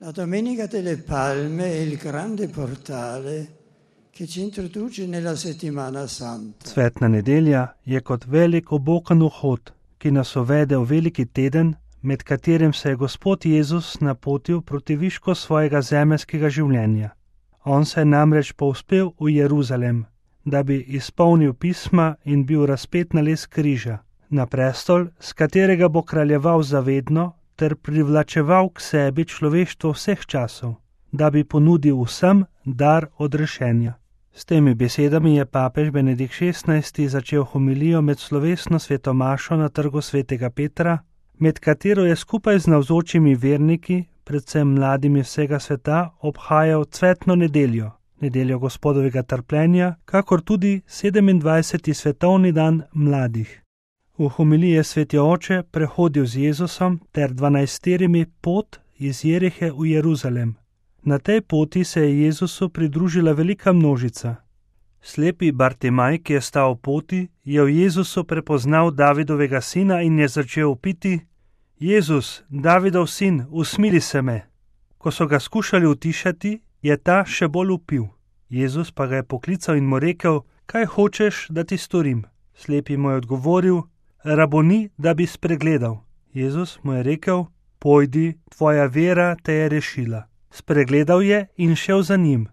La Domenica delle Palme è il grande portale che ci introduce nella settimana santa. Cvetna nedelja je kot velik obokan vhod, ki nas uvede v veliki teden, med katerim se je Gospod Jezus napotil proti višku svojega zemeljskega življenja. On se je namreč povzpel v Jeruzalem, da bi izpolnil pisma in bil razpet na les križa, na prestol, s katerega bo kraljeval zavedno ter privlačeval k sebi človeštvo vseh časov, da bi ponudil vsem dar odrešenja. S temi besedami je papež Benedikt XVI začel homilijo med slovesno svetomašo na trgu svetega Petra, med katero je skupaj z navzočimi verniki, predvsem mladimi vsega sveta, obhajal cvetno nedeljo, nedeljo Gospodovega trpljenja, kakor tudi 27. svetovni dan mladih. V homiliji je sveti oče prehodil z Jezusom ter 12 pot iz Jerihe v Jeruzalem. Na tej poti se je Jezusu pridružila velika množica. Slepi Bartimaj, ki je stal v poti, je v Jezusu prepoznal Davidovega sina in je začel vpiti: Jezus, Davidov sin, usmili se me. Ko so ga skušali utišati, je ta še bolj vpil. Jezus pa ga je poklical in mu rekel: Kaj hočeš, da ti storim? Slepi mu je odgovoril: Raboni, da bi spregledal. Jezus mu je rekel: Pojdi, tvoja vera te je rešila. Spregledal je in šel za njim.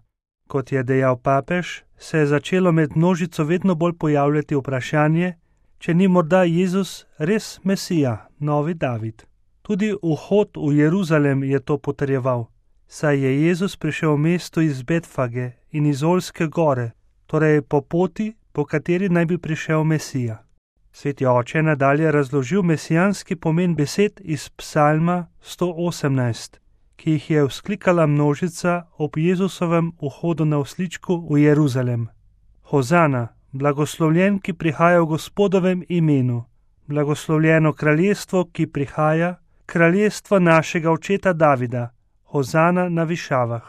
Kot je dejal papež, se je začelo med množico vedno bolj pojavljati vprašanje, če ni morda Jezus res Mesija, novi David. Tudi vhod v Jeruzalem je to potrjeval, saj je Jezus prišel v mesto iz Betfage in iz Olske gore, torej po poti, po kateri naj bi prišel Mesija. Sveti oče je nadalje razložil mesijanski pomen besed iz Psalma 118, ki jih je vzklikala množica ob Jezusovem vhodu na osličku v Jeruzalem. Hozana, blagoslovljen, ki prihaja v Gospodovem imenu, blagoslovljeno kraljestvo, ki prihaja, kraljestvo našega očeta Davida, hozana na višavah.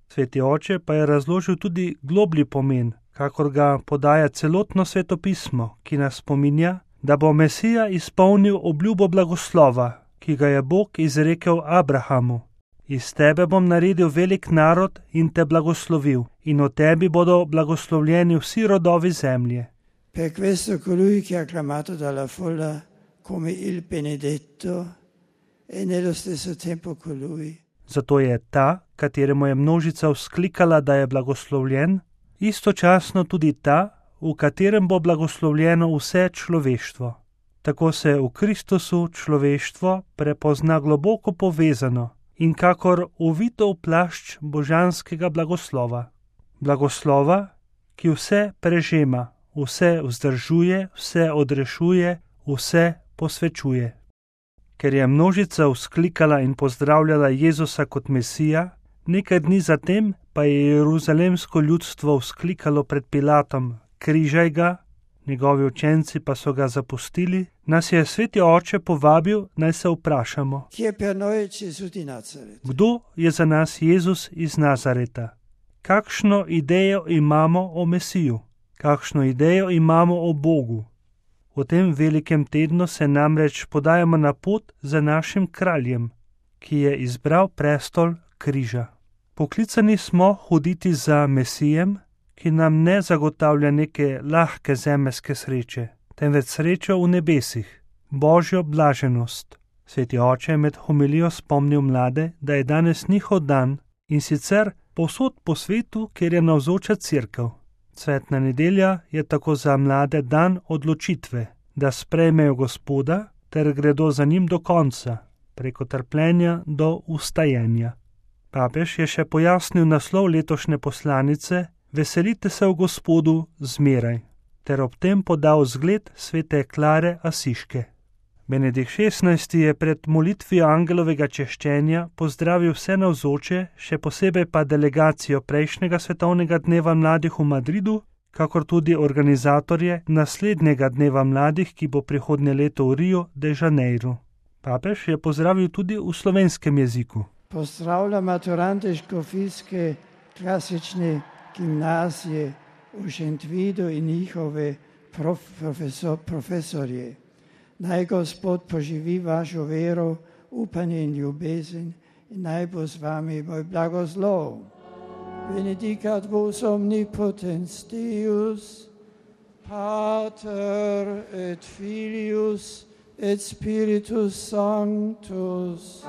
Sveti oče pa je razložil tudi globlji pomen, kakor ga podaja celotno svetopismo, ki nas spominja, da bo Mesija izpolnil obljubo blagoslova, ki ga je Bog izrekel Abrahamu. Iz tebe bom naredil velik narod in te blagoslovil, in o tebi bodo blagoslovljeni vsi rodovi zemlje. Per questo colui che è acclamato dalla folla come il benedetto e nello stesso tempo colui. Zato je ta, kateremu je množica vzklikala, da je blagoslovljen, istočasno tudi ta, v katerem bo blagoslovljeno vse človeštvo. Tako se v Kristusu človeštvo prepozna globoko povezano in kakor uvito v plašč božanskega blagoslova. Blagoslova, ki vse prežema, vse vzdržuje, vse odrešuje, vse posvečuje. Ker je množica vzklikala in pozdravljala Jezusa kot Mesija, nekaj dni zatem pa je jeruzalemsko ljudstvo vzklikalo pred Pilatom: Križaj ga, njegovi učenci pa so ga zapustili, nas je sveti oče povabil, naj se vprašamo: Kdo je za nas Jezus iz Nazareta? Kakšno idejo imamo o Mesiju? Kakšno idejo imamo o Bogu? V tem velikem tednu se namreč podajamo na pot za našim kraljem, ki je izbral prestol križa. Poklicani smo hoditi za Mesijem, ki nam ne zagotavlja neke lahke zemeljske sreče, temveč srečo v nebesih, božjo blaženost. Sveti oče je med homilijo spomnil mlade, da je danes njihov dan, in sicer povsod po svetu, kjer je navzoča cerkev. Cvetna nedelja je tako za mlade dan odločitve, da sprejmejo Gospoda ter gredo za njim do konca, preko trpljenja do vstajenja. Papež je še pojasnil naslov letošnje poslanice: Veselite se v Gospodu zmeraj, ter ob tem podal zgled svete Klare Asiške. Benedikt XVI je pred molitvijo angelovega češčenja pozdravil vse navzoče, še posebej pa delegacijo prejšnjega svetovnega dneva mladih v Madridu, kakor tudi organizatorje naslednjega dneva mladih, ki bo prihodnje leto v Rio de Janeiro. Papež je pozdravil tudi v slovenskem jeziku. Pozdravljam maturante škofijske klasične gimnazije v Šentvidu in njihove profesorje. Naj Gospod poživi vašo vero, upanje in ljubezen naj bo z vami moj blagoslov. Benedicat vos omnipotens Deus, Pater et Filius et Spiritus Sanctus.